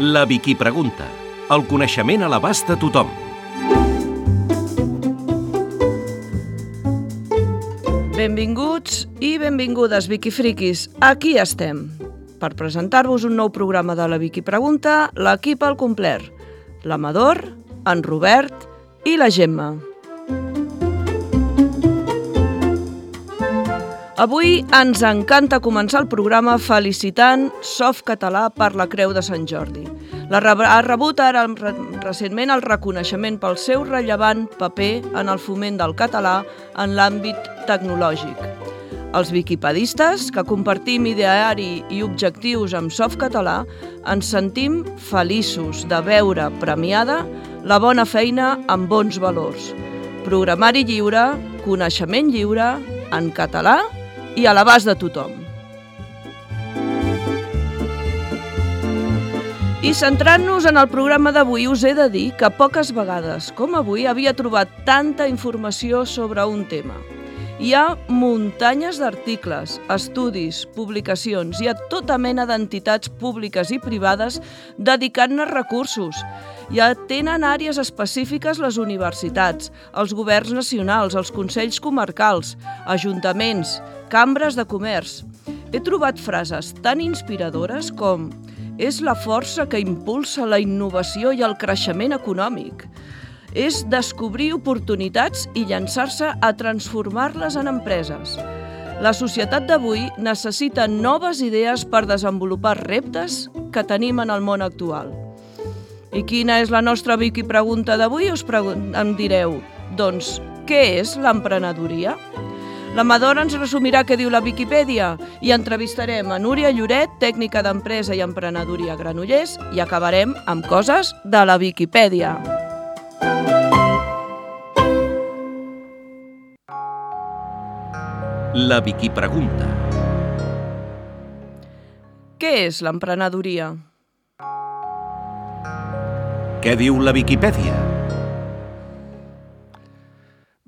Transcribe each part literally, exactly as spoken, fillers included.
La Vicky Pregunta. El coneixement a l'abast de tothom. Benvinguts i benvingudes, Vicky Friquis. Aquí estem. Per presentar-vos un nou programa de la Vicky Pregunta, l'equip al complet. L'Amador, en Robert i la Gemma. Avui ens encanta començar el programa felicitant Softcatalà per la Creu de Sant Jordi. La ha rebut ara recentment el reconeixement pel seu rellevant paper en el foment del català en l'àmbit tecnològic. Els viquipedistes, que compartim ideari i objectius amb Softcatalà, ens sentim feliços de veure premiada la bona feina amb bons valors. Programari lliure, coneixement lliure, en català i a l'abast de tothom. I centrant-nos en el programa d'avui, us he de dir que poques vegades, com avui, havia trobat tanta informació sobre un tema. Hi ha muntanyes d'articles, estudis, publicacions, hi ha tota mena d'entitats públiques i privades dedicant-ne recursos. Ja tenen àrees específiques les universitats, els governs nacionals, els consells comarcals, ajuntaments, cambres de comerç. He trobat frases tan inspiradores com «És la força que impulsa la innovació i el creixement econòmic». És descobrir oportunitats i llançar-se a transformar-les en empreses. La societat d'avui necessita noves idees per desenvolupar reptes que tenim en el món actual. I quina és la nostra Vicky Pregunta d'avui? Us pregun- em direu, doncs, què és l'emprenedoria? L'Amador ens resumirà què diu la Viquipèdia i entrevistarem a Núria Lloret, tècnica d'empresa i emprenedoria a Granollers, i acabarem amb coses de la Viquipèdia. La Vicky Pregunta. Què és l'emprenedoria? Què diu la Viquipèdia?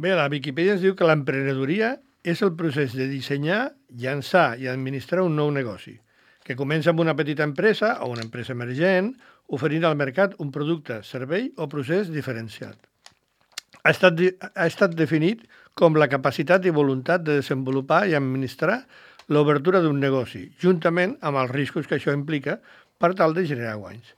Bé, la Viquipèdia ens diu que l'emprenedoria és el procés de dissenyar, llançar i administrar un nou negoci, que comença amb una petita empresa o una empresa emergent, oferint al mercat un producte, servei o procés diferenciat. Ha estat, ha estat definit com la capacitat i voluntat de desenvolupar i administrar l'obertura d'un negoci, juntament amb els riscos que això implica per tal de generar guanys.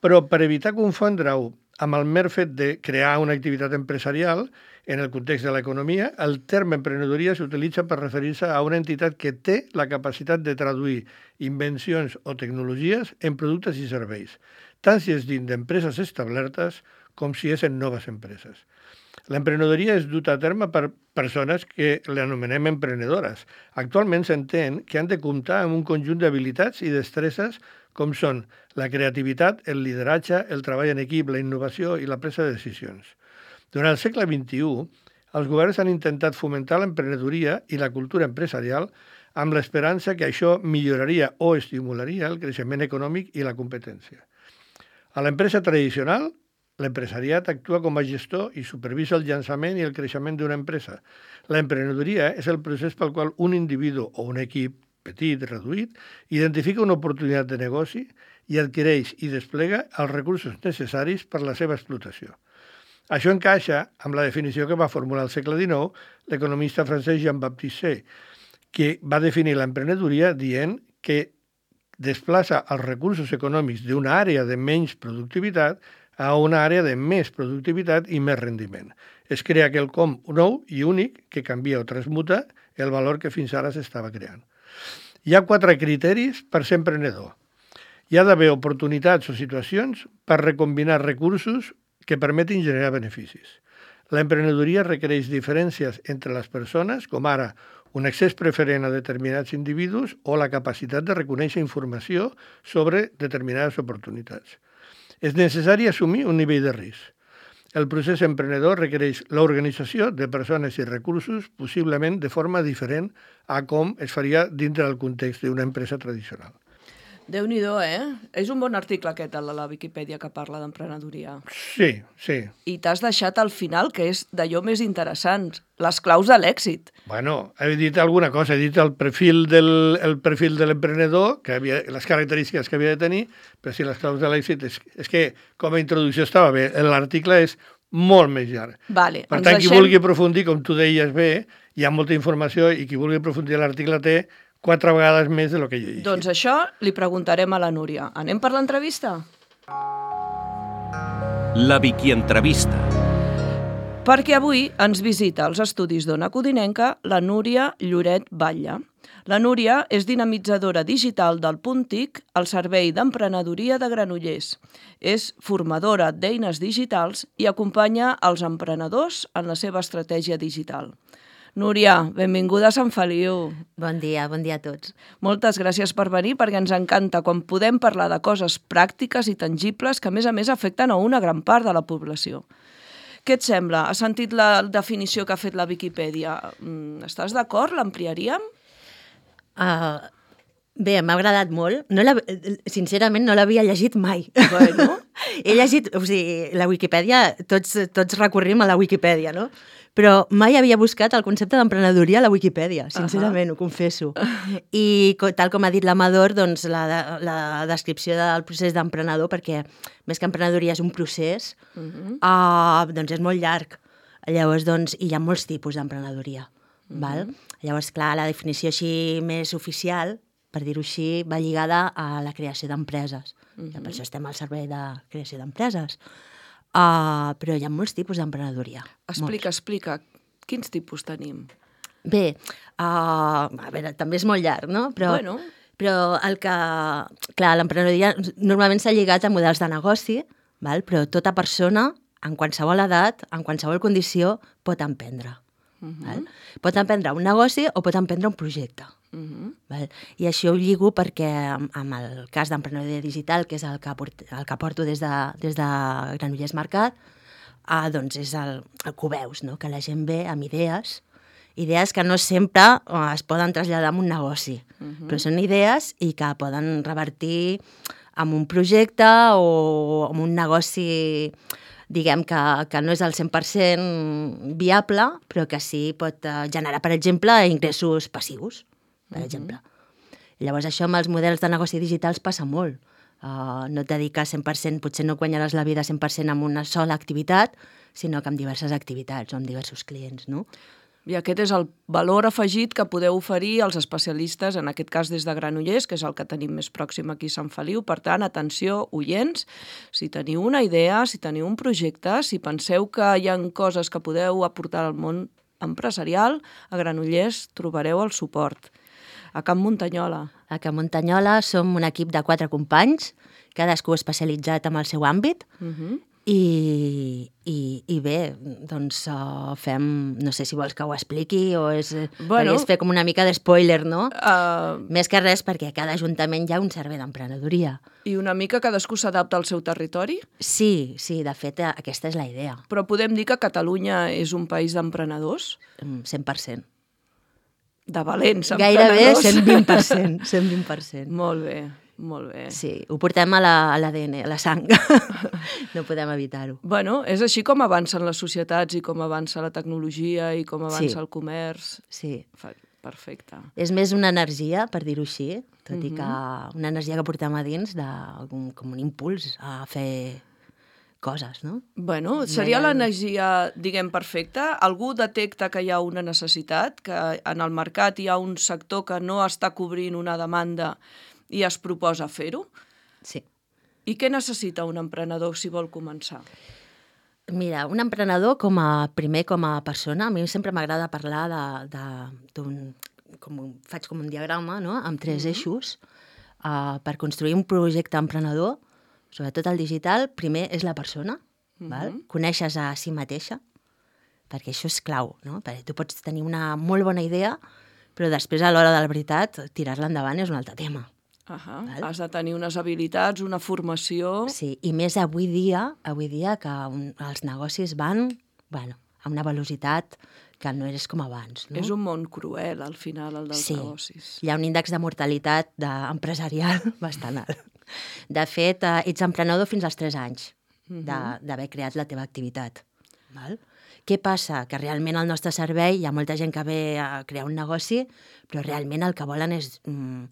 Però per evitar confondre-ho amb el mer fet de crear una activitat empresarial, en el context de l'economia, el terme emprenedoria s'utilitza per referir-se a una entitat que té la capacitat de traduir invencions o tecnologies en productes i serveis, tant si és dins d'empreses establertes com si és en noves empreses. L'emprenedoria és duta a terme per persones que l'anomenem emprenedores. Actualment s'entén que han de comptar amb un conjunt d'habilitats i destreses com són la creativitat, el lideratge, el treball en equip, la innovació i la presa de decisions. Durant el segle vint-i-u, els governs han intentat fomentar l'emprenedoria i la cultura empresarial amb l'esperança que això milloraria o estimularia el creixement econòmic i la competència. A l'empresa tradicional, l'empresariat actua com a gestor i supervisa el llançament i el creixement d'una empresa. L'emprenedoria és el procés pel qual un individu o un equip petit, reduït, identifica una oportunitat de negoci i adquireix i desplega els recursos necessaris per la seva explotació. Això encaixa amb la definició que va formular al segle dinou l'economista francès Jean-Baptiste Say, que va definir l'emprenedoria dient que desplaça els recursos econòmics d'una àrea de menys productivitat a una àrea de més productivitat i més rendiment. Es crea quelcom nou i únic que canvia o transmuta el valor que fins ara s'estava creant. Hi ha quatre criteris per ser emprenedor. Hi ha d'haver oportunitats o situacions per recombinar recursos que permetin generar beneficis. L'emprenedoria requereix diferències entre les persones, com ara un accés preferent a determinats individus o la capacitat de reconèixer informació sobre determinades oportunitats. És necessari assumir un nivell de risc. El procés emprenedor requereix l'organització de persones i recursos, possiblement de forma diferent a com es faria dintre del context d'una empresa tradicional. Déu-n'hi-do, eh? És un bon article aquest, el de la Viquipèdia, que parla d'emprenedoria. Sí, sí. I t'has deixat al final, que és d'allò més interessant, les claus de l'èxit. Bueno, he dit alguna cosa, he dit el perfil del, el perfil de l'emprenedor, que havia, les característiques que havia de tenir, però si les claus de l'èxit és, és que com a introducció estava bé, l'article és molt més llarg. Vale, per ens tant, qui deixem... vulgui aprofundir, com tu deies bé, hi ha molta informació i qui vulgui aprofundir l'article té quatre vegades més de lo que jo he llegit. Doncs això li preguntarem a la Núria. Anem per l'entrevista? La Vicky Entrevista. Perquè avui ens visita als estudis d'Ona Codinenca la Núria Lloret Batlle. La Núria és dinamitzadora digital del Punt T I C al Servei d'Emprenedoria de Granollers. És formadora d'eines digitals i acompanya els emprenedors en la seva estratègia digital. Núria, benvinguda a Sant Feliu. Bon dia, bon dia a tots. Moltes gràcies per venir, perquè ens encanta quan podem parlar de coses pràctiques i tangibles que, a més a més, afecten a una gran part de la població. Què et sembla? Has sentit la definició que ha fet la Viquipèdia? Estàs d'acord? L'ampliaríem? Uh, bé, m'ha agradat molt. No la, sincerament, no l'havia llegit mai. Bueno. He llegit, o sigui, la Viquipèdia, tots, tots recorrim a la Viquipèdia, no? Però mai havia buscat el concepte d'emprenedoria a la Viquipèdia, sincerament, uh -huh. ho confesso. I tal com ha dit l'Amador, doncs la, la descripció del procés d'emprenedor, perquè més que emprenedoria és un procés, uh -huh. uh, doncs és molt llarg. Llavors, doncs, hi ha molts tipus d'emprenedoria. Uh -huh. Val? Llavors, clar, la definició així més oficial, per dir-ho així, va lligada a la creació d'empreses. Uh -huh. Per això estem al servei de creació d'empreses. Uh, però hi ha molts tipus d'emprenedoria. Explica, molts. explica. Quins tipus tenim? Bé, uh, a veure, també és molt llarg, no? Però, bueno. però el que... Clar, l'emprenedoria normalment s'ha lligat a models de negoci, val? Però tota persona, en qualsevol edat, en qualsevol condició, pot emprendre. Uh -huh. Val? Pot emprendre un negoci o pot emprendre un projecte. Uh -huh. Val? I això ho lligo perquè, amb el cas d'emprenedoria digital, que és el que, port, el que porto des de, des de Granollers Mercat, eh, doncs és el, el que ho veus, no? Que la gent ve amb idees, idees que no sempre eh, es poden traslladar en un negoci, uh -huh. però són idees i que poden revertir en un projecte o en un negoci, diguem que, que no és al cent per cent viable, però que sí pot eh, generar, per exemple, ingressos passius, per uh-huh. exemple. Llavors, això amb els models de negoci digitals passa molt. Uh, no et dediques cent per cent, potser no guanyaràs la vida cent per cent amb una sola activitat, sinó que amb diverses activitats o amb diversos clients, no? I aquest és el valor afegit que podeu oferir als especialistes, en aquest cas des de Granollers, que és el que tenim més pròxim aquí a Sant Feliu. Per tant, atenció, oients, si teniu una idea, si teniu un projecte, si penseu que hi ha coses que podeu aportar al món empresarial, a Granollers trobareu el suport. A Can Muntanyola. A Can Muntanyola som un equip de quatre companys, cadascú especialitzat en el seu àmbit, uh-huh. I, i, i bé, doncs uh, fem, no sé si vols que ho expliqui o és, bueno, és fer com una mica d'espoiler, no? Uh, Més que res perquè a cada ajuntament hi ha un servei d'emprenedoria. I una mica cadascú s'adapta al seu territori? Sí, sí, de fet aquesta és la idea. Però podem dir que Catalunya és un país d'emprenedors? cent per cent. De valents emprenedors? Gairebé cent vint per cent. cent vint per cent. Molt bé. Molt bé. Sí, ho portem a l'A D N, a la sang. No podem evitar-ho. Bueno, és així com avancen les societats i com avança la tecnologia i com avança sí. el comerç. Sí. Perfecte. És més una energia, per dir-ho així, tot uh-huh. i que una energia que portem a dins de, com, com un impuls a fer coses, no? Bueno, seria l'energia, diguem, perfecta. Algú detecta que hi ha una necessitat, que en el mercat hi ha un sector que no està cobrint una demanda i es proposa fer-ho? Sí. I què necessita un emprenedor si vol començar? Mira, un emprenedor, com a, primer com a persona, a mi sempre m'agrada parlar de, de, d'un... Com, faig com un diagrama, no?, amb tres mm-hmm. eixos. Uh, per construir un projecte emprenedor, sobretot el digital, primer és la persona, mm-hmm. val? Coneixes a si mateixa, perquè això és clau, no? Perquè tu pots tenir una molt bona idea, però després, a l'hora de la veritat, tirar-la endavant és un altre tema. Uh-huh. Has de tenir unes habilitats, una formació... Sí, i més avui dia, avui dia que un, els negocis van, bueno, a una velocitat que no és com abans. No? És un món cruel, al final, el dels sí. negocis. Hi ha un índex de mortalitat de... empresarial bastant alt. De fet, eh, ets emprenedor fins als tres anys d'haver creat la teva activitat. Val? Què passa? Que realment al nostre servei hi ha molta gent que ve a crear un negoci, però realment el que volen és, mm,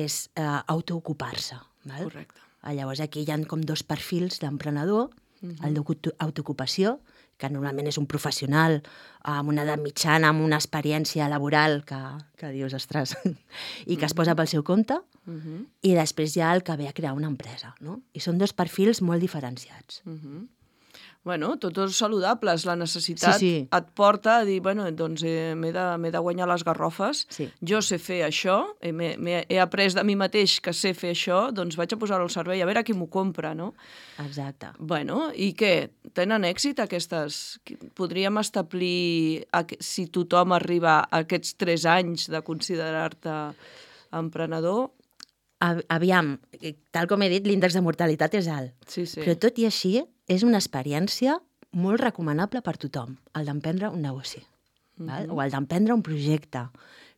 és uh, autoocupar-se. Val? Correcte. Llavors aquí hi ha com dos perfils d'emprenedor, uh-huh. el d'autoocupació, que normalment és un professional amb una edat mitjana, amb una experiència laboral que, que dius, ostres, i que es posa pel seu compte, uh-huh. i després hi ha el que ve a crear una empresa. No? I són dos perfils molt diferenciats. Uh-huh. Bueno, tots dos saludables. La necessitat sí, sí. et porta a dir, bueno, doncs eh, m'he de, m'he de guanyar les garrofes, sí. jo sé fer això, he, m'he, he après de mi mateix que sé fer això, doncs vaig a posar-ho al servei, a veure qui m'ho compra, no? Exacte. Bueno, i què? Tenen èxit aquestes? Podríem establir, si tothom arriba a aquests tres anys de considerar-te emprenedor? Aviam, tal com he dit, l'índex de mortalitat és alt. Sí, sí. Però tot i així, és una experiència molt recomanable per tothom, el d'emprendre un negoci, mm-hmm. val? O el d'emprendre un projecte,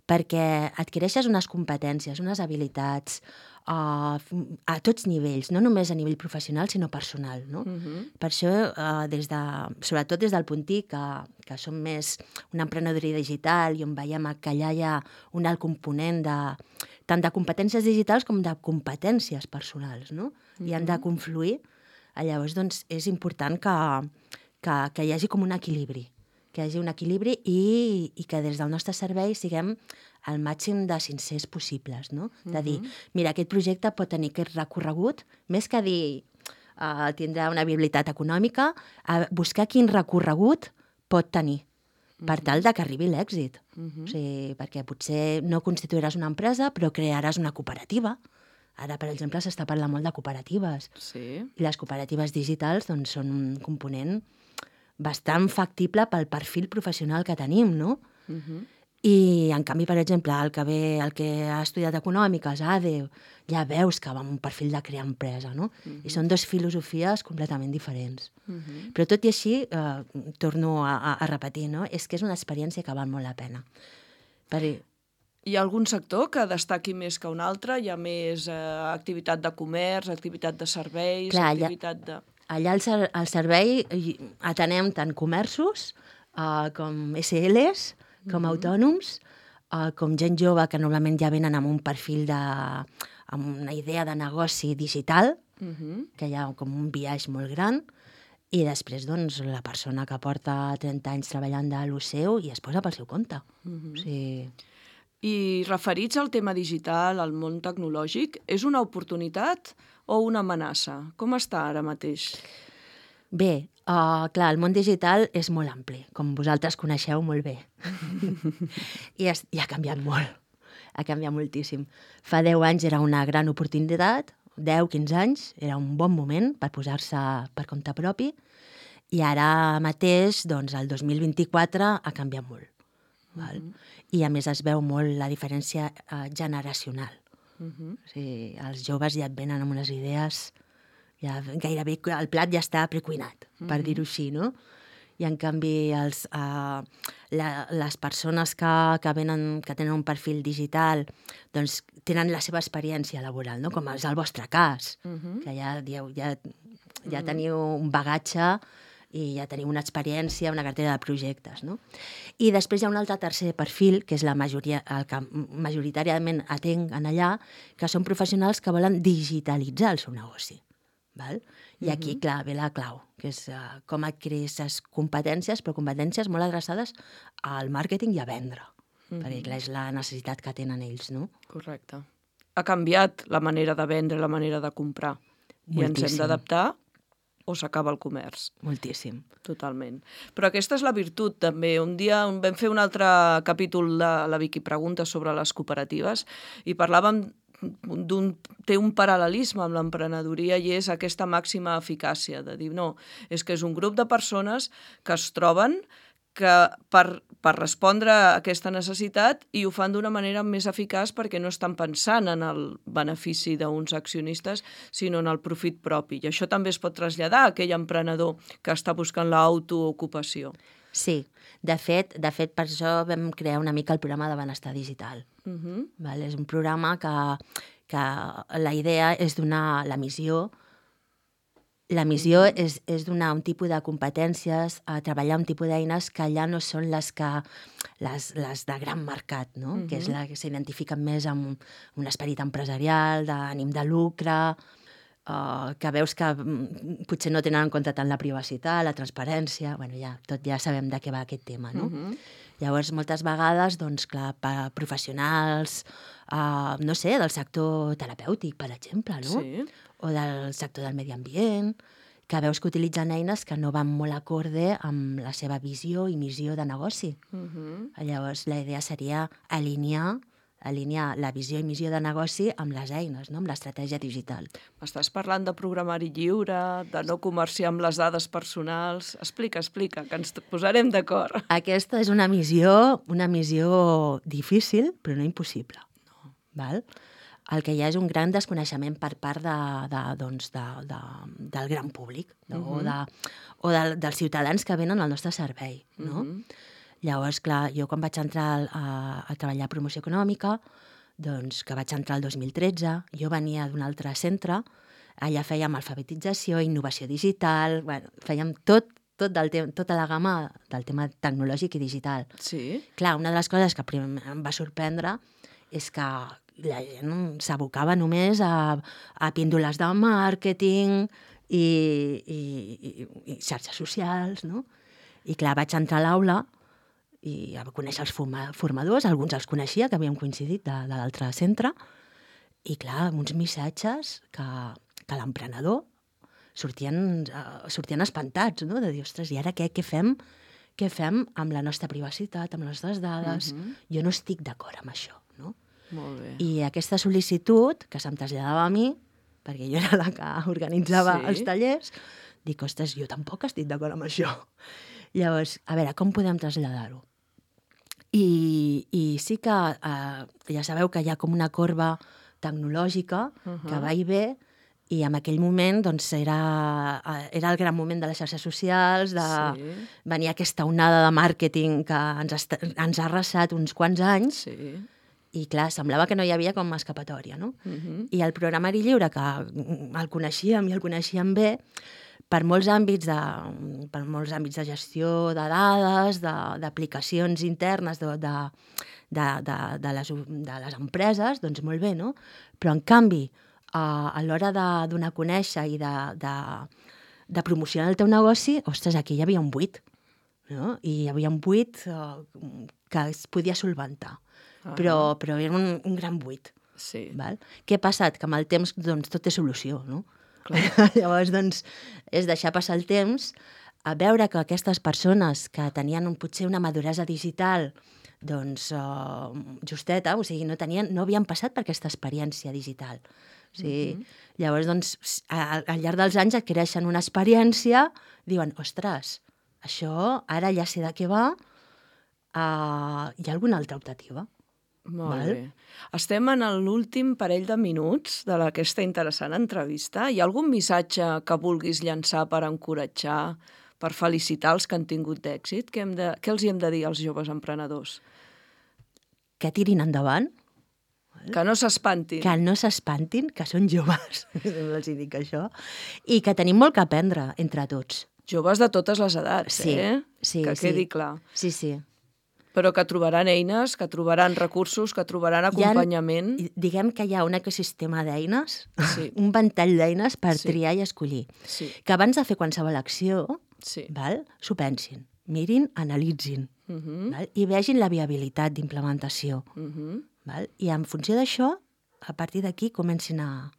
perquè adquireixes unes competències, unes habilitats uh, a tots nivells, no només a nivell professional, sinó personal. No? Mm-hmm. Per això, uh, des de, sobretot des del Puntí, que, que som més una emprenedoria digital i on veiem que allà hi ha un alt component de, tant de competències digitals com de competències personals, no? Mm-hmm. I han de confluir. Llavors, doncs, és important que, que, que hi hagi com un equilibri, que hi hagi un equilibri i, i que des del nostre servei siguem el màxim de sincers possibles, no? De dir, mira, aquest projecte pot tenir aquest recorregut, més que dir uh, tindrà una viabilitat econòmica, a buscar quin recorregut pot tenir, per tal de que arribi l'èxit. Uh-huh. O sigui, perquè potser no constituiràs una empresa, però crearàs una cooperativa. Ara, per exemple, s'està parlant molt de cooperatives. Sí. I les cooperatives digitals doncs, són un component bastant factible pel perfil professional que tenim, no? Uh-huh. I, en canvi, per exemple, el que, ve, el que ha estudiat econòmiques, A D E, ja veus que va amb un perfil de crear empresa, no? Uh-huh. I són dues filosofies completament diferents. Uh-huh. Però tot i així, eh, torno a, a, a repetir, no? És que és una experiència que val molt la pena. Per... Hi ha algun sector que destaqui més que un altre? Hi ha més eh, activitat de comerç, activitat de serveis, Clar, activitat de... Allà al, ser, al servei atenem tant comerços uh, com S Ls, com mm-hmm. autònoms, uh, com gent jove que normalment ja venen amb un perfil de... amb una idea de negoci digital, mm-hmm. que hi ha com un biaix molt gran, i després, doncs, la persona que porta trenta anys treballant de lo seu i es posa pel seu compte. Mm-hmm. O sigui... I referits al tema digital, al món tecnològic, és una oportunitat o una amenaça? Com està ara mateix? Bé, uh, clar, el món digital és molt ampli, com vosaltres coneixeu molt bé. I, es, I ha canviat molt, ha canviat moltíssim. Fa deu anys era una gran oportunitat, deu, quinze anys, era un bon moment per posar-se per compte propi, i ara mateix, doncs, el dos mil vint-i-quatre ha canviat molt. Val? Uh-huh. I a més es veu molt la diferència uh, generacional. Uh-huh. O sigui, els joves ja et venen amb unes idees, ja gairebé el plat ja està precuinat, uh-huh. per dir-ho així, no? I en canvi els, uh, la, les persones que, que, venen, que tenen un perfil digital doncs tenen la seva experiència laboral, no? Com és el vostre cas, uh-huh. que ja, ja, ja, ja teniu un bagatge i ja teniu una experiència, una cartera de projectes, no? I després hi ha un altre tercer perfil, que és la majoria, el que majoritàriament atenc en allà, que són professionals que volen digitalitzar el seu negoci. Val? I aquí, uh-huh. clar, ve la clau, que és uh, com adquirir aquestes competències, però competències molt adreçades al màrqueting i a vendre, uh-huh. perquè clar, és la necessitat que tenen ells, no? Correcte. Ha canviat la manera de vendre, la manera de comprar. Moltíssim. I ens hem d'adaptar o s'acaba el comerç. Moltíssim. Totalment. Però aquesta és la virtut, també. Un dia vam fer un altre capítol de la Vicky Pregunta sobre les cooperatives i parlàvem d'un, té un paral·lelisme amb l'emprenedoria i és aquesta màxima eficàcia, de dir, no, és que és un grup de persones que es troben que per, per respondre a aquesta necessitat i ho fan d'una manera més eficaç perquè no estan pensant en el benefici d'uns accionistes, sinó en el profit propi. I això també es pot traslladar a aquell emprenedor que està buscant l'autoocupació. Sí. De fet, de fet, per això vam crear una mica el programa de benestar digital. Uh -huh. Val? És un programa que, que la idea és donar la missió. La missió uh -huh. és, és donar un tipus de competències, a treballar un tipus d'eines que ja no són les que les, les de gran mercat, no? Uh -huh. Que és la que s'identifiquen més amb un, un esperit empresarial, d'ànim de lucre, Uh, que veus que mm, potser no tenen en compte tant la privacitat, la transparència... Bueno, ja, tot ja sabem de què va aquest tema, no? Uh-huh. Llavors, moltes vegades, doncs, clar, per professionals, uh, no sé, del sector terapèutic, per exemple, no? Sí. O del sector del medi ambient, que veus que utilitzen eines que no van molt acorde amb la seva visió i missió de negoci. Uh-huh. Llavors, la idea seria alinear alinear la visió i missió de negoci amb les eines, no? Amb l'estratègia digital. M'estàs parlant de programari lliure, de no comerciar amb les dades personals... Explica, explica, que ens posarem d'acord. Aquesta és una missió, una missió difícil, però no impossible. No. Val? El que hi ha és un gran desconeixement per part de, de, doncs, de, de, del gran públic, no? uh-huh. o, de, o de, dels ciutadans que venen al nostre servei, no? Uh-huh. Llavors, clar, jo quan vaig entrar a, a treballar a promoció econòmica, doncs que vaig entrar el dos mil tretze, jo venia d'un altre centre, allà fèiem alfabetització, innovació digital, bueno, fèiem tot, tot del te- tota la gamma del tema tecnològic i digital. Sí. Clar, una de les coses que primer em va sorprendre és que la gent s'abocava només a, a píndoles de màrqueting i, i, i, i xarxes socials, no? I clar, vaig entrar a l'aula i a conèixer els forma- formadors, alguns els coneixia, que havíem coincidit de, de l'altre centre, i clar, amb uns missatges que, que l'emprenedor sortien, uh, sortien espantats, no? De dir, ostres, i ara què, què fem? Què fem amb la nostra privacitat, amb les nostres dades? Uh-huh. Jo no estic d'acord amb això, no? Molt bé. I aquesta sol·licitud, que se'm traslladava a mi, perquè jo era la que organitzava Sí. els tallers, dic, ostres, jo tampoc estic d'acord amb això. Llavors, a veure, com podem traslladar-ho? I, i sí que eh, ja sabeu que hi ha com una corba tecnològica uh-huh. que va i ve, i en aquell moment doncs, era, eh, era el gran moment de les xarxes socials, de Sí. venir aquesta onada de màrqueting que ens, est- ens ha arrasat uns quants anys, Sí. i clar, semblava que no hi havia com escapatòria, no? Uh-huh. I el programari lliure, que el coneixíem i el coneixíem bé, per molts àmbits de, per molts àmbits de gestió de dades, de- d'aplicacions internes de, de, de, de, de, les, de les empreses, doncs molt bé, no? Però, en canvi, a, a l'hora de donar a conèixer i de, de, de promocionar el teu negoci, ostres, aquí hi havia un buit, no? I hi havia un buit eh, que es podia solventar, Ah. però, però era un, un gran buit. Sí. Val? Què ha passat? Que amb el temps doncs, tot té solució, no? Clar. Llavors, doncs, és deixar passar el temps, a veure que aquestes persones que tenien un, potser una maduresa digital doncs, uh, justeta, o sigui, no, tenien, no havien passat per aquesta experiència digital. O sigui, uh-huh. Llavors, doncs, a, al llarg dels anys adquireixen una experiència, diuen, ostres, això ara ja sé de què va, uh, hi ha alguna altra optativa? Molt Val? bé. Estem en l'últim parell de minuts de aquesta interessant entrevista. Hi ha algun missatge que vulguis llançar per encoratjar, per felicitar els que han tingut d'èxit? Què, hem de, què els hi hem de dir als joves emprenedors? Que tirin endavant, Que no s'espantin. que no s'espantin, que són joves, els hi dic això, i que tenim molt que aprendre entre tots. Joves de totes les edats, Sí, eh? sí, que sí. quedi clar. Sí, sí. Però que trobaran eines, que trobaran recursos, que trobaran acompanyament. Hi ha, diguem que hi ha un ecosistema d'eines, Sí. un ventall d'eines per Sí. triar i escollir. Sí, Que abans de fer qualsevol acció, sí. val, s'ho pensin, mirin, analitzin, Uh -huh. val, i vegin la viabilitat d'implementació. Uh -huh. Val? I en funció d'això, a partir d'aquí comencin a...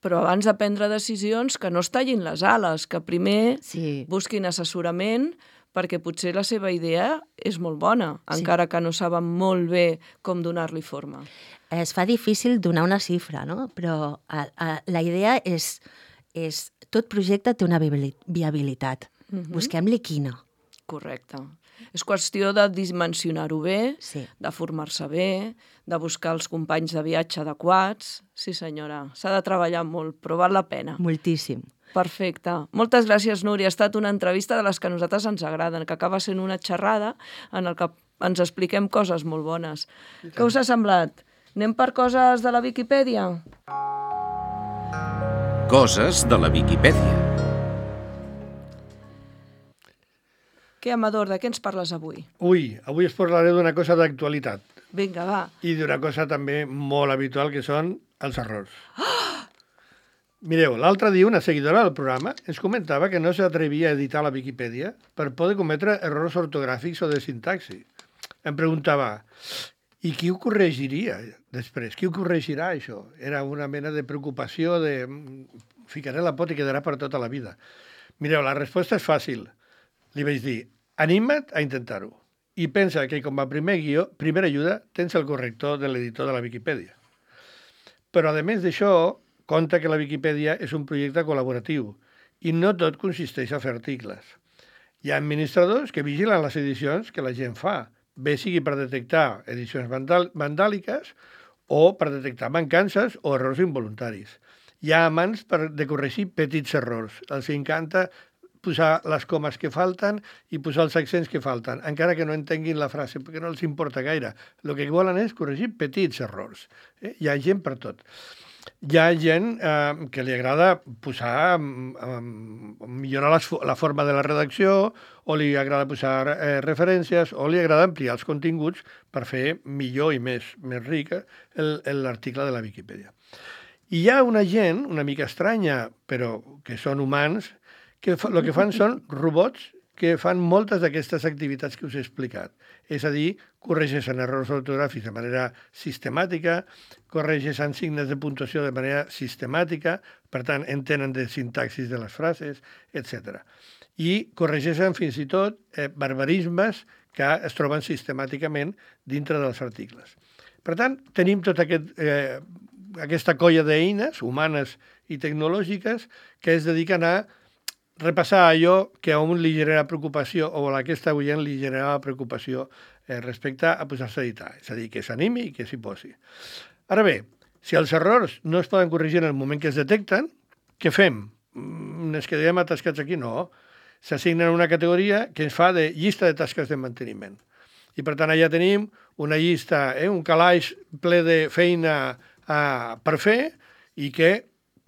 Però abans de prendre decisions, que no es tallin les ales, que primer Sí. busquin assessorament, perquè potser la seva idea és molt bona, Sí. encara que no saben molt bé com donar-li forma. Es fa difícil donar una xifra, no? Però a, a, la idea és, és... Tot projecte té una viabili- viabilitat. Mhm. Busquem-li quina. Correcte. És qüestió de dimensionar-ho bé, Sí. de formar-se bé, de buscar els companys de viatge adequats. Sí, senyora, s'ha de treballar molt, però val la pena. Moltíssim. Perfecte. Moltes gràcies, Núria. Ha estat una entrevista de les que a nosaltres ens agraden, que acaba sent una xerrada en el que ens expliquem coses molt bones. Què us ha semblat? Anem per coses de la Viquipèdia? Coses de la Viquipèdia. Què, Amador, de què ens parles avui? Ui, avui us parlaré d'una cosa d'actualitat Vinga, va. i d'una cosa també molt habitual, que són els errors. Mireu, l'altre dia una seguidora del programa ens comentava que no s'atrevia a editar la Viquipèdia per poder cometre errors ortogràfics o de sintaxi. Em preguntava, i qui ho corregiria després? Qui ho corregirà, això? Era una mena de preocupació de ficaré la pot i quedarà per tota la vida. Mireu, la resposta és fàcil. Li vaig dir, anima't a intentar-ho i pensa que com a primer guió, primera ajuda, tens el corrector de l'editor de la Viquipèdia. Però, a més d'això, compta que la Viquipèdia és un projecte col·laboratiu i no tot consisteix a fer articles. Hi ha administradors que vigilen les edicions que la gent fa, bé sigui per detectar edicions vandàliques o per detectar mancances o errors involuntaris. Hi ha amants per de corregir petits errors. Els encanta posar les comes que falten i posar els accents que falten, encara que no entenguin la frase, perquè no els importa gaire. El que volen és corregir petits errors. Eh? Hi ha gent per tot. Hi ha gent eh, que li agrada posar, eh, millorar les, la forma de la redacció, o li agrada posar eh, referències, o li agrada ampliar els continguts per fer millor i més, més ric l'article de la Viquipèdia. I hi ha una gent, una mica estranya, però que són humans, que el que fan són robots que fan moltes d'aquestes activitats que us he explicat. És a dir, corregeixen errors ortogràfics de manera sistemàtica, corregeixen signes de puntuació de manera sistemàtica, per tant, entenen de sintaxis de les frases, etcètera. I corregeixen fins i tot eh, barbarismes que es troben sistemàticament dintre dels articles. Per tant, tenim tota aquest, eh, aquesta colla d'eines humanes i tecnològiques que es dediquen a repassar allò que a un li genera preocupació o a aquesta oient li generava preocupació eh, respecte a posar-se a editar. És a dir, que s'animi i que s'hi posi. Ara bé, si els errors no es poden corregir en el moment que es detecten, què fem? Ens quedem atascats aquí? No. S'assignen una categoria que ens fa de llista de tasques de manteniment. I per tant allà tenim una llista, eh, un calaix ple de feina eh, per fer i que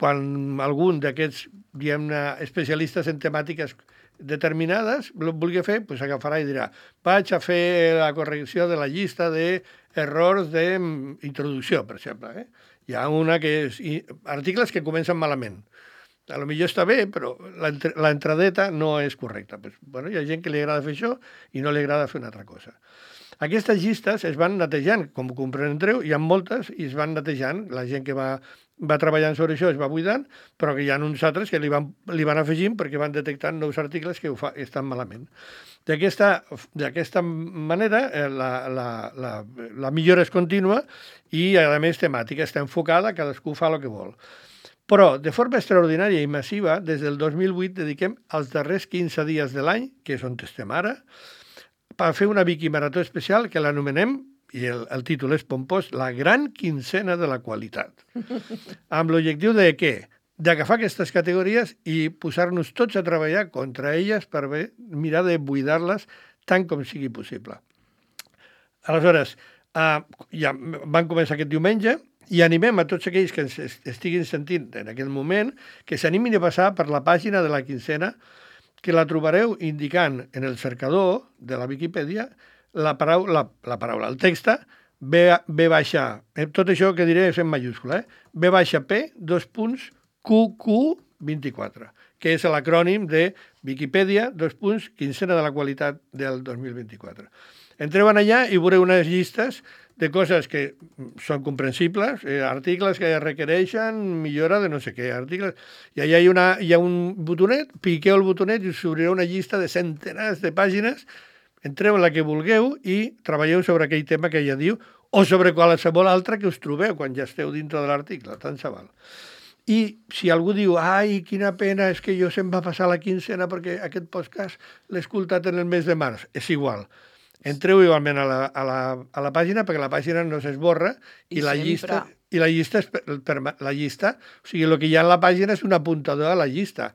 quan algun d'aquests diguem-ne, especialistes en temàtiques determinades el vulgui fer, doncs agafarà i dirà vaig a fer la correcció de la llista d'errors d'introducció, per exemple. Eh? Hi ha una que és articles que comencen malament. A lo millor està bé, però l'entradeta no és correcta. Pues, bueno, hi ha gent que li agrada fer això i no li agrada fer una altra cosa. Aquestes llistes es van netejant, com comprendreu, hi ha moltes i es van netejant. La gent que va va treballant sobre això, es va buidant, però que hi ha uns altres que li van, li van afegint perquè van detectant nous articles que ho fa, estan malament. D'aquesta manera, la, la, la, la millora és contínua i, a més, temàtica. Està enfocada, cadascú fa el que vol. Però, de forma extraordinària i massiva, des del dos mil vuit dediquem els darrers quinze dies de l'any, que és on estem ara, per fer una Viquimarató especial que l'anomenem, i el, el títol és pompós, la gran quincena de la qualitat. Amb l'objectiu de què? D'agafar aquestes categories i posar-nos tots a treballar contra elles per bé, mirar de buidar-les tant com sigui possible. Aleshores, eh, ja van començar aquest diumenge i animem a tots aquells que ens estiguin sentint en aquest moment que s'animin a passar per la pàgina de la quincena, que la trobareu indicant en el cercador de la Viquipèdia La paraula, la, la paraula, el text, B, B baixa, eh, tot això que diré és en majúscula, eh? B baixa P, dos punts, Q Q vint-i-quatre, que és l'acrònim de Viquipèdia, dos punts, quincena de la qualitat del dos mil vint-i-quatre. Entreu allà i veureu unes llistes de coses que són comprensibles, eh, articles que requereixen millora de no sé què, articles... I allà hi ha, una, hi ha un botonet, piqueu el botonet i us obrirà una llista de centenars de pàgines. Entreu en la que vulgueu i treballeu sobre aquell tema que ella diu o sobre qualsevol altre que us trobeu quan ja esteu dintre de l'article, tant se val. I si algú diu, ai, quina pena, és que jo se'm va passar la quincena perquè aquest podcast l'he escoltat en el mes de març. És igual. Entreu igualment a la, a la, a la pàgina perquè la pàgina no s'esborra i, I la sempre. llista, i la llista és per, per, la llista, o sigui, el que hi ha en la pàgina és un apuntador a la llista.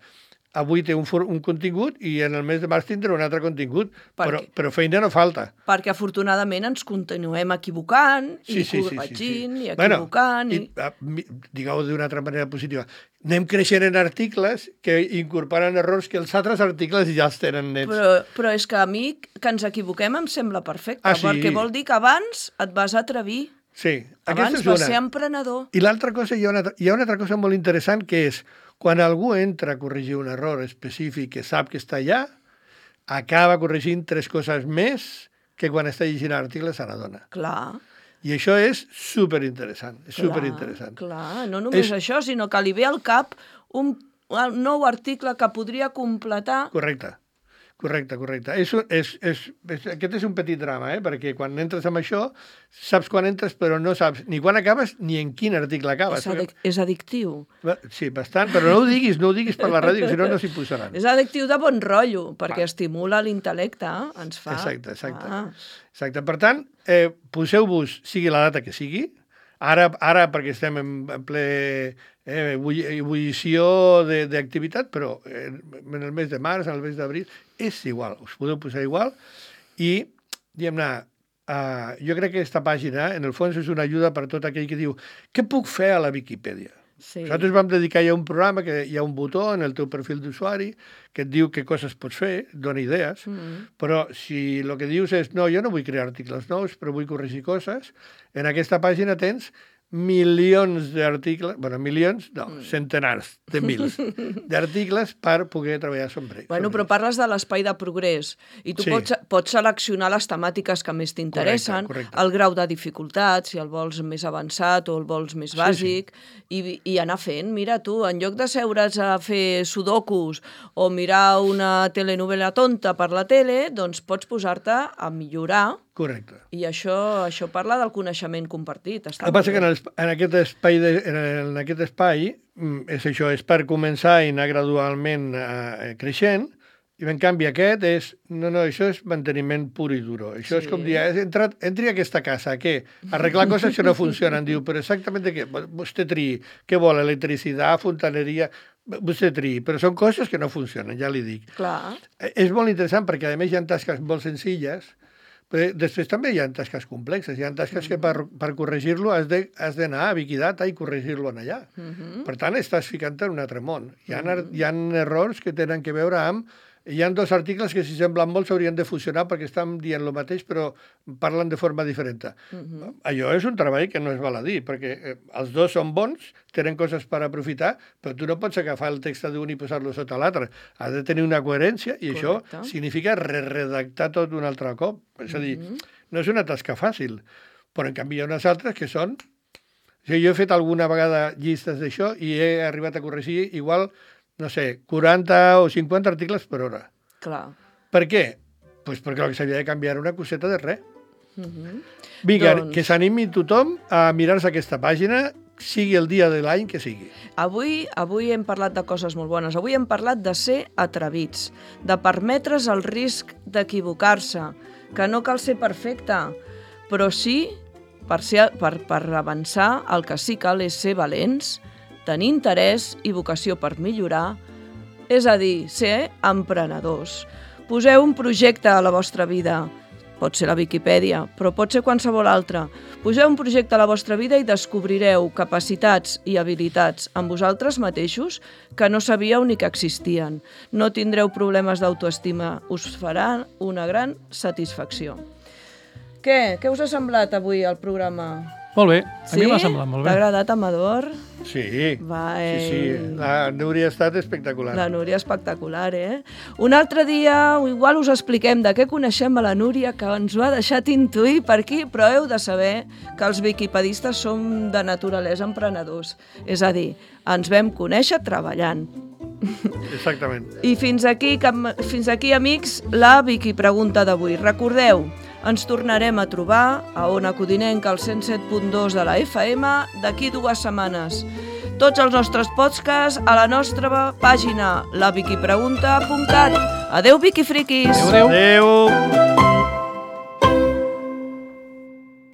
Avui té un, for, un contingut i en el mes de març tindrà un altre contingut, Per però, què? però feina no falta. Perquè afortunadament ens continuem equivocant Sí, i sí, sí, sí, corregint sí. i equivocant. Bueno, i... i, a, mi- digueu d'una altra manera positiva. Anem creixent en articles que incorporen errors que els altres articles ja els tenen nets. Però, però és que a mi que ens equivoquem em sembla perfecte, Ah, sí? perquè vol dir que abans et vas atrevir, Sí, abans aquesta és vas una. ser emprenedor. I l'altra cosa, hi ha, una, hi ha una altra cosa molt interessant, que és quan algú entra a corregir un error específic que sap que està allà, acaba corregint tres coses més que quan està llegint l'article se n'adona. Clar, I això és superinteressant, és clar, superinteressant. clar. No només És- això, sinó que li ve al cap un, un nou article que podria completar. Correcte, correcte, correcte. És, un- és, és, és, aquest és un petit drama, eh? Perquè quan entres amb això, saps quan entres, però no saps ni quan acabes ni en quin article acabes. És, adic és addictiu. Perquè- Sí, bastant, però no ho diguis, no ho diguis per la ràdio, si no, no s'hi posaran. És addictiu de bon rotllo, perquè estimula l'intel·lecte, ens fa... Exacte, exacte. Ah. Exacte. Per tant, eh, poseu-vos, sigui la data que sigui, ara, ara perquè estem en, en ple eh, ebulli- ebullició de- d'activitat, però eh, en el mes de març, en el mes d'abril, és igual, us podeu posar igual, i, diguem-ne, eh, jo crec que aquesta pàgina, en el fons, és una ajuda per tot aquell que diu què puc fer a la Viquipèdia? Sí. Nosaltres vam dedicar ja un programa que hi ha un botó en el teu perfil d'usuari que et diu què coses pots fer, et dona idees, Mm. però si el que dius és no, jo no vull crear articles nous, però vull corregir coses, en aquesta pàgina tens milions d'articles, bueno, milions, no, Mm. centenars de mils d'articles per poder treballar sobre ells. Bueno, però parles de l'espai de progrés i tu Sí. pots, pots seleccionar les temàtiques que més t'interessen, Correcte, correcte. el grau de dificultat, si el vols més avançat o el vols més Sí, bàsic, I, i anar fent. Mira, tu, en lloc de seure's a fer sudokus o mirar una telenovela tonta per la tele, doncs pots posar-te a millorar Correcte. i això, això parla del coneixement compartit. Està El que passa molt que en, bé. el, en, aquest espai de, en, en aquest espai mm, és això, és per començar i anar gradualment eh, creixent, i en canvi aquest és, no, no, això és manteniment pur i duro. Això Sí. és com dir, has entrat, entri a aquesta casa, què? Arreglar coses que no funcionen. Diu, però exactament què? Vostè triï, què vol? Electricitat, fontaneria... Vostè triï, però són coses que no funcionen, ja li dic. Clar, Eh, És molt interessant perquè, a més, hi ha tasques molt senzilles, però després també hi ha tasques complexes. Hi ha tasques que per, per corregir-lo has de- has d'anar a Wikidata i corregir-lo en allà. Mhm. Per tant, estàs ficant en un altre món. Hi ha, hi ha errors que tenen que veure amb... Hi ha dos articles que, si semblen molt, s'haurien de fusionar perquè estan dient el mateix, però parlen de forma diferent. Mhm. Allò és un treball que no es val a dir, perquè eh, els dos són bons, tenen coses per aprofitar, però tu no pots agafar el text d'un i posar-lo sota l'altre. Has de tenir una coherència i Correcte. això significa re-redactar tot un altre cop. És a dir, Mhm. no és una tasca fàcil, però en canvi hi ha unes altres que són... O sigui, jo he fet alguna vegada llistes d'això i he arribat a corregir igual, no sé, quaranta o cinquanta articles per hora. clar. Per què? Pues perquè el que s'havia de canviar era una coseta de res. Mhm. Vinga, Doncs- que s'animi tothom a mirar-se aquesta pàgina, sigui el dia de l'any que sigui. Avui, avui hem parlat de coses molt bones. Avui hem parlat de ser atrevits, de permetre's el risc d'equivocar-se, que no cal ser perfecte, però sí, per, ser, per, per avançar, el que sí cal és ser valents, tenir interès i vocació per millorar, és a dir, ser emprenedors. Poseu un projecte a la vostra vida. Pot ser la Viquipèdia, però pot ser qualsevol altre. Poseu un projecte a la vostra vida i descobrireu capacitats i habilitats en vosaltres mateixos que no sabíeu ni que existien. No tindreu problemes d'autoestima. Us farà una gran satisfacció. Què? Què us ha semblat avui el programa? Molt bé, a mi m'ha semblat molt T'ha bé. agradat, Amador? Sí, Va, sí, sí. eh. La Núria ha estat espectacular. La Núria espectacular, eh? Un altre dia, igual us expliquem de què coneixem a la Núria, que ens ho ha deixat intuir per aquí, però heu de saber que els viquipedistes som de naturalesa emprenedors. És a dir, ens vam conèixer treballant. Exactament. I fins aquí, cam- fins aquí, amics, la Viqui Pregunta d'avui. Recordeu, ens tornarem a trobar a Ona Codinenca, al cent set punt dos de la F M, d'aquí dues setmanes. tots els nostres podcasts a la nostra pàgina, la viquipregunta punt cat. Adeu, Viquifriquis! Adéu! Adéu!